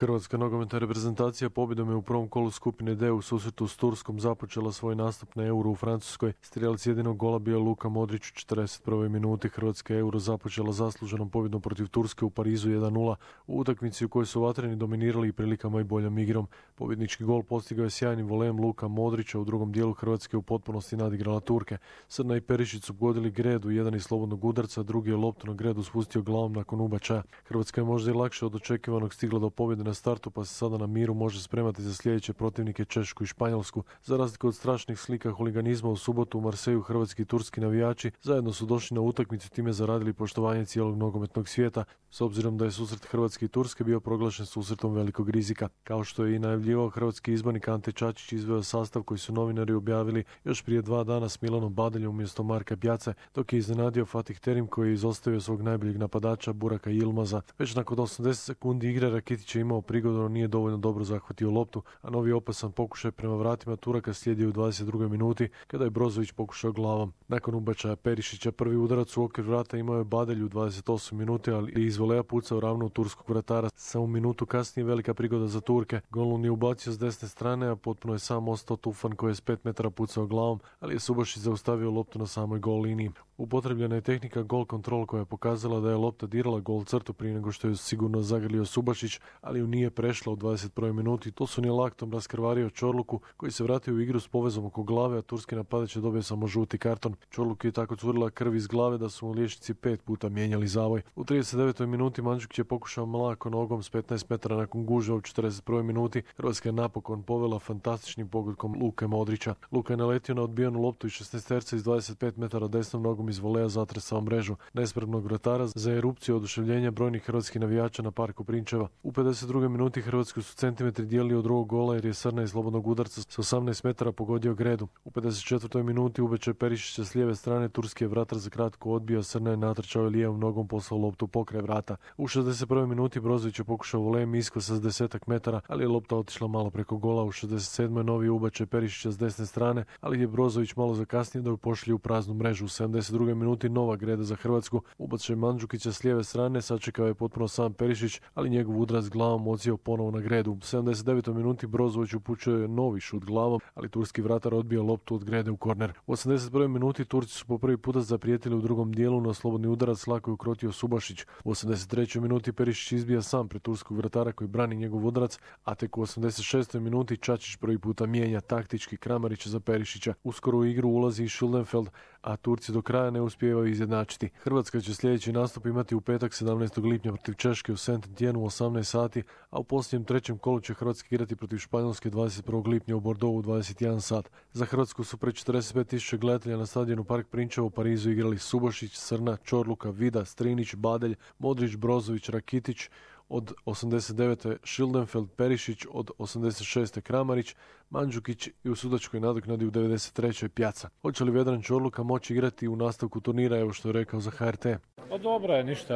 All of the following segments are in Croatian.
Hrvatska nogometna reprezentacija pobjedom je u prvom kolu skupine D u susretu s Turskom započela svoj nastup na Euro u Francuskoj. Strijelac jedinog gola bio Luka Modrić u 41. minuti. Hrvatska Euro započela zasluženom pobjedom protiv Turske u Parizu 1:0 u utakmici u kojoj su vatreni dominirali i prilikama i boljom igrom. Pobjednički gol postigao je sjajnim volem Luka Modrića. U drugom dijelu Hrvatske u potpunosti nadigrala Turke. Srna i Perišić su pogodili Gredu, jedan iz slobodnog udarca, drugi je loptu na Gredu spustio glavom nakon ubačaja. Hrvatska je možda i lakše od očekivanog stigla do pobjede na startu, pa se sada na miru može spremati za sljedeće protivnike Češku i Španjolsku. Za razliku od strašnih slika huliganizma u subotu u Marseju, hrvatski i turski navijači zajedno su došli na utakmicu, time zaradili poštovanje cijelog nogometnog svijeta, s obzirom da je susret Hrvatske i Turske bio proglašen susretom velikog rizika. Kao što je i najavljivao, hrvatski izbornik Ante Čačić izveo sastav koji su novinari objavili još prije 2 dana s Milanom Badeljom umjesto Marka Pjace, dok je iznenadio Fatih Terim koji je izostavio svog najboljeg napadača Buraka Yilmaza. Već nakon 80 sekundi igre Rakitić je imao prigodu, no nije dovoljno dobro zahvatio loptu, a novi opasan pokušaj prema vratima Turaka slijedio u 22. minuti kada je Brozović pokušao glavom. Nakon ubačaja Perišića prvi udarac u okvir vrata imao je Badelj u 28 minuti, ali je iz volea pucao ravno u turskog vratara. Samo minutu kasnije velika prigoda za Turke. Golun je ubacio s desne strane, a potpuno je sam ostao Tufan koji je s 5 metara pucao glavom, ali je Subašić zaustavio loptu na samoj gol liniji. Upotrebljena je tehnika gol control koja je pokazala da je lopta dirala gol crtu prije nego što je sigurno zagrlio Subašić, ali ju nije prešla u 21. minuti. To su nije laktom raskrvario Čorluku koji se vratio u igru s povezom oko glave, a turski napadač je dobio samo žuti karton. Čorluku je tako curila krv iz glave da su mu liječnici 5 puta mijenjali zavoj. U 39. minuti Mandžukić je pokušao mlako nogom s 15 metara nakon gužva u 41. minuti. Hrvatska je napokon povela fantastičnim pogodkom Luke Modrića. Luka je naletio na odbijanu loptu i 16-terca iz 25 metara desnom nogom iz volea zatresao mrežu nespremnog vratara za erupciju oduševljenja brojnih hrvatskih navijača na parku Prinčeva. U 52. minuti Hrvatsku su centimetri dijelili od drugog gola jer je Srna iz slobodnog udarca s 18 metara pogodio Gredu. U 54. minuti ubačaj Perišića s lijeve strane, turski je vratar za kratko odbio, Srna je natrčao i lijevom nogom poslao loptu pokraj vrata. U 61. minuti Brozović je pokušao volem isko sa 10 metara, ali je lopta otišla malo preko gola. U 67. novi ubačaj Perišića s desne strane, ali je Brozović malo zakasnio da ju pošli u praznu mrežu. U 72. minuti nova Greda za Hrvatsku. Ubačaj Mandžukića s lijeve strane, sačekao je potpuno sam Perišić, ali njegov udarac glavom odsjeo ponovo na Gredu. U 79. minuti Brozović upućuje novi šut glavom, ali turski vratar odbio loptu od Grede u korner. U 81. minuti Turci su po prvi puta zaprijetili u drugom dijelu, no slobodni udarac lako je ukrotio Subašić. U 83. minuti Perišić izbija sam pred turskog vratara koji brani njegov udarac, a tek u 86. minuti Čačić prvi puta mijenja taktički Kramarića za Perišića. Uskoro u igru ulazi i Schildenfeld, a Turci do kraja ne uspijevaju izjednačiti. Hrvatska će sljedeći nastup imati u petak 17. lipnja protiv Češke u Saint-Étienne u 18 sati, a u posljednjem trećem kolu će Hrvatska igrati protiv Španjolske 21. lipnja u Bordeauxu u 21 sat. Za Hrvatsku su pred 45.000 gledatelja na stadionu Park Prinčevo u Parizu igrali Subašić, Srna, Čorluka, Vida, Strinić, Badelj, Modrić, Brozović, Rakitić, od 89. Schildenfeld, Perišić, od 86. Kramarić, Mandžukić i u sudačkoj nadoknadi u 93. Pjaca. Hoće li Vedran Čorluka moći igrati u nastavku turnira, evo što je rekao za HRT? Pa dobro je, ništa,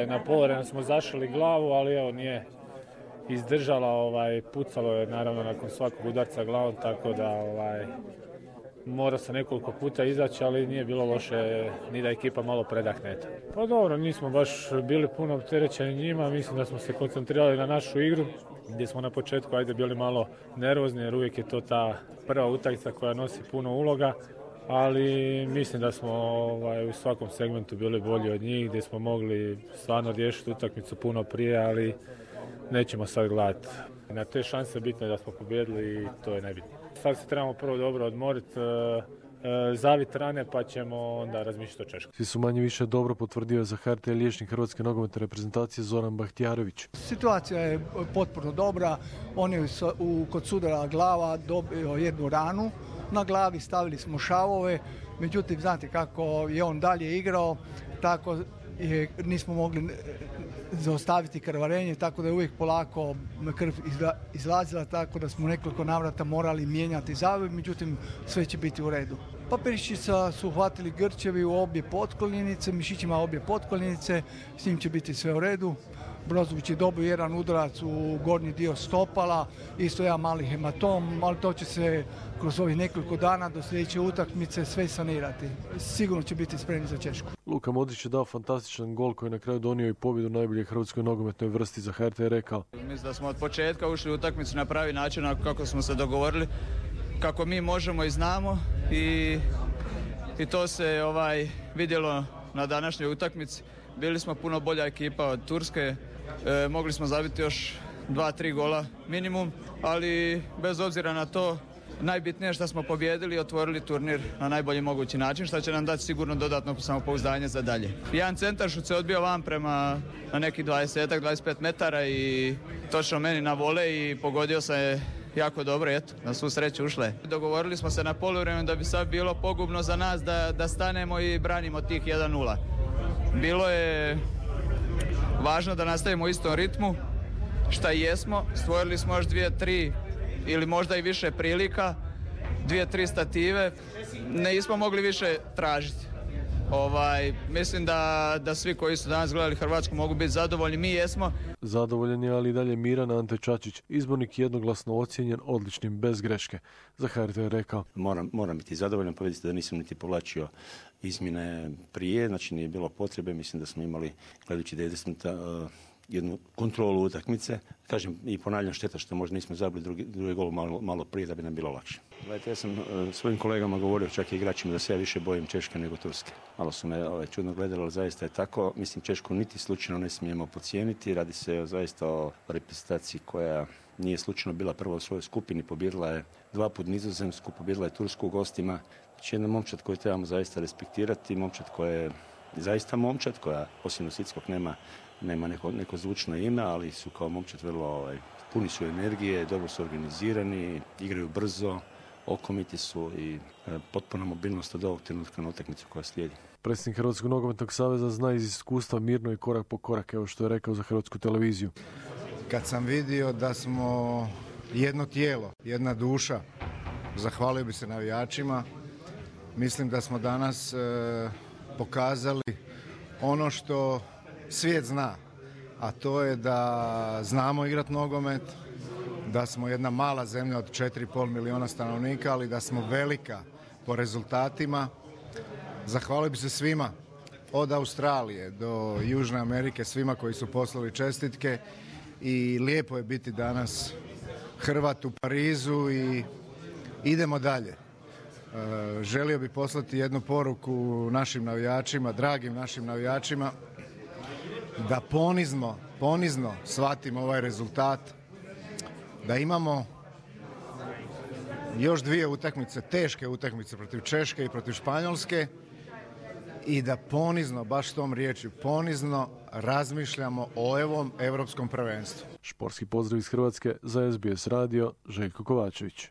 na polovremenu smo zašli glavu, ali evo nije izdržala, pucalo je naravno nakon svakog udarca glavom, tako da mora se nekoliko puta izaći, ali nije bilo loše ni da ekipa malo predahne. Pa dobro, nismo baš bili puno opterećeni njima, mislim da smo se koncentrirali na našu igru, gdje smo na početku bili malo nervozni, jer uvijek je to ta prva utakmica koja nosi puno uloga, ali mislim da smo u svakom segmentu bili bolji od njih, gdje smo mogli stvarno riješiti utakmicu puno prije, ali nećemo sad gledati. Na te šanse bitno je da smo pobijedili i to je nebitno. Sad se trebamo prvo dobro odmoriti, zavit rane, pa ćemo onda razmišljati o Češkoj. Svi su manje više dobro, potvrdio za HRT liječnik Hrvatske nogometne reprezentacije Zoran Bahtijarović. Situacija je potpuno dobra, on je kod sudara glava dobio jednu ranu na glavi, stavili smo šavove, međutim znate kako je on dalje igrao, tako nismo mogli zaustaviti krvarenje, tako da je uvijek polako krv izlazila, tako da smo nekoliko navrata morali mijenjati zavoj, međutim sve će biti u redu. Pa Perišića su uhvatili grčevi u obje potkoljenice, mišićima obje potkoljenice, s njim će biti sve u redu. Brozović je dobio jedan udarac u gornji dio stopala, isto jedan mali hematom, ali to će se kroz ovih nekoliko dana do sljedeće utakmice sve sanirati. Sigurno će biti spremni za Češku. Luka Modrić je dao fantastičan gol koji je na kraju donio i pobjedu najbolje hrvatskoj nogometnoj vrsti. Za HRT je rekao: Mislim da smo od početka ušli u utakmicu na pravi način kako smo se dogovorili, kako mi možemo i znamo i to se vidjelo na današnjoj utakmici. Bili smo puno bolja ekipa od Turske, mogli smo zabiti još 2-3 gola minimum, ali bez obzira na to najbitnije je što smo pobijedili i otvorili turnir na najbolji mogući način, što će nam dati sigurno dodatno samopouzdanje za dalje. Jedan centaršut se odbio van prema na nekih 20-25 metara i točno meni na vole i pogodio se jako dobro, eto, na svu sreću ušle. Dogovorili smo se na poluvremenu da bi sad bilo pogubno za nas da stanemo i branimo tih 1-0. Bilo je važno da nastavimo u istom ritmu, šta i jesmo. Stvorili smo još 2-3 ili možda i više prilika, 2-3 stative. Nismo mogli više tražiti. Mislim da svi koji su danas gledali Hrvatsku mogu biti zadovoljni, mi jesmo. Zadovoljan je, ali i dalje miran Ante Čačić, izbornik jednoglasno ocijenjen odličnim bez greške. Za HRT je rekao: Moram biti zadovoljan, pa vidite da nisam niti povlačio izmjene prije, znači nije bilo potrebe, mislim da smo imali, gledajući 90 minuta, jednu kontrolu utakmice. Kažem i ponavljam, šteta što možda nismo zabili drugi gol malo prije da bi nam bilo lakše. Gledajte, ja sam svojim kolegama govorio, čak i igračima, da se ja više bojim Češke nego Turske. Malo su me čudno gledali, ali zaista je tako. Mislim, Češku niti slučajno ne smijemo podcijeniti. Radi se zaista o reprezentaciji koja nije slučajno bila prva u svojoj skupini. Pobijedila je 2 puta Nizozemsku, pobijedila je Tursku u gostima. Znači jedna momčad koju trebamo zaista respektirati, momčad koja je zaista momčad, koja osim Nositskog nema neko zvučno ime, ali su kao momčad vrlo puni su energije, dobro su organizirani, igraju brzo, okomiti su i potpuna mobilnost od ovog trenutka na utakmicu koja slijedi. Predsjednik Hrvatskog nogometnog saveza zna iz iskustva mirno i korak po korak, evo što je rekao za Hrvatsku televiziju. Kad sam vidio da smo jedno tijelo, jedna duša, zahvalio bi se navijačima. Mislim da smo danas pokazali ono što svijet zna, a to je da znamo igrati nogomet, da smo jedna mala zemlja od 4,5 milijuna stanovnika, ali da smo velika po rezultatima. Zahvalio bi se svima, od Australije do Južne Amerike, svima koji su poslali čestitke i lijepo je biti danas Hrvat u Parizu i idemo dalje. Želio bih poslati jednu poruku našim navijačima, dragim našim navijačima, da ponizno shvatimo ovaj rezultat, da imamo još 2 utakmice, teške utakmice protiv Češke i protiv Španjolske i da ponizno, baš tom riječju, ponizno razmišljamo o ovom europskom prvenstvu. Športski pozdrav iz Hrvatske za SBS radio, Željko Kovačević.